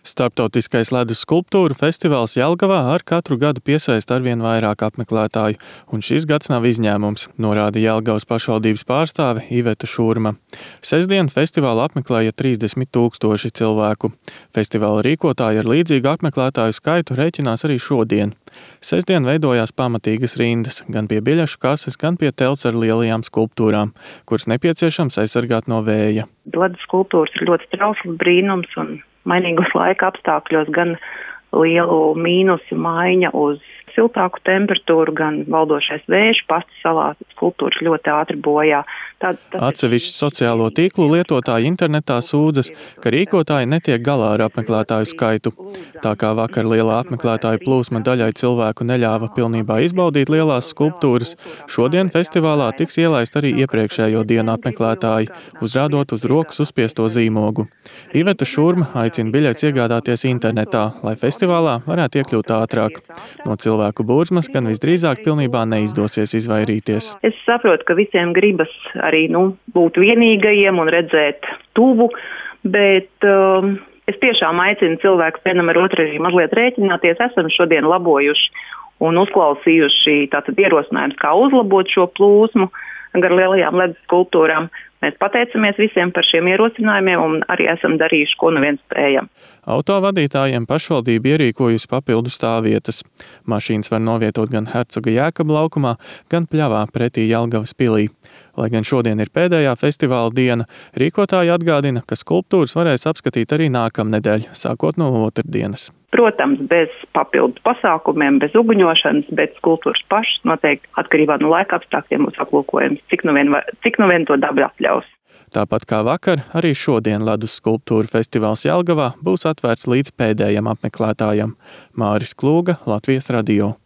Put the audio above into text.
Starptautiskais ledus skulptūru festivāls Jelgavā ar katru gadu piesaista arvien vairāk apmeklētāju, un šis gads nav izņēmums, norāda Jelgavas pašvaldības pārstāve Iveta Šurma. Sestdien festivālu apmeklēja 30 000 cilvēku. Festivāla rīkotāji ar līdzīgu apmeklētāju skaitu rēķinās arī šodien. Sestdien veidojās pamatīgas rindas, gan pie biļešu kases, gan pie telts ar lielajām skulptūrām, kuras nepieciešams aizsargāt no vēja. Ledus skulptūras ir ļoti trausls brīnums un mainīgos laika apstākļos gan lielu mīnusu maiņa uz siltāku temperatūru, gan valdošais vējš pasti salā skulptūras ļoti ātri bojā. Atsevišķi sociālo tīklu lietotāji internetā sūdzas, ka rīkotāji netiek galā ar apmeklētāju skaitu. Tā kā vakar lielā apmeklētāju plūsma daļai cilvēku neļāva pilnībā izbaudīt lielās skulptūras, šodien festivālā tiks ielaist arī iepriekšējo dienu apmeklētāji, uzrādot uz rokas uzspiesto zīmogu. Iveta Šurma aicina biļetes iegādāties internetā, lai festivālā varētu iekļūt ātrāk. No cilvēku burzmas gan visdrīzāk pilnībā neizdosies izvairīties. Es saprotu, ka visiem gribas arī būt vienīgajiem un redzēt tuvu, bet es tiešām aicinu cilvēkus vienam ar otru arī mazliet rēķināties. Esam šodien labojuši un uzklausījuši tātad ierosinājumus, kā uzlabot šo plūsmu gar lielajām ledus skulptūrām. Mēs pateicamies visiem par šiem ierosinājumiem un arī esam darījuši, ko nu viens spējam. Autovadītājiem pašvaldība ierīkojusi papildu stāvvietas. Mašīnas var novietot gan Hercoga Jēkaba laukumā, gan pļavā pretī Jelgavas pilī. Lai gan šodien ir pēdējā festivāla diena, rīkotāji atgādina, ka skulptūras varēs apskatīt arī nākamnedēļ, sākot no otrdienas. Protams, bez papildus pasākumiem, bez uguņošanas, bet skulptūras pašas noteikti atkarībā no laika apstākļiem būs aplūkojams, cik nu vien to daba atļaus. Tāpat kā vakar, arī šodien ledus skulptūru festivāls Jelgavā būs atvērts līdz pēdējam apmeklētājam. Māris Klūga, Latvijas radio.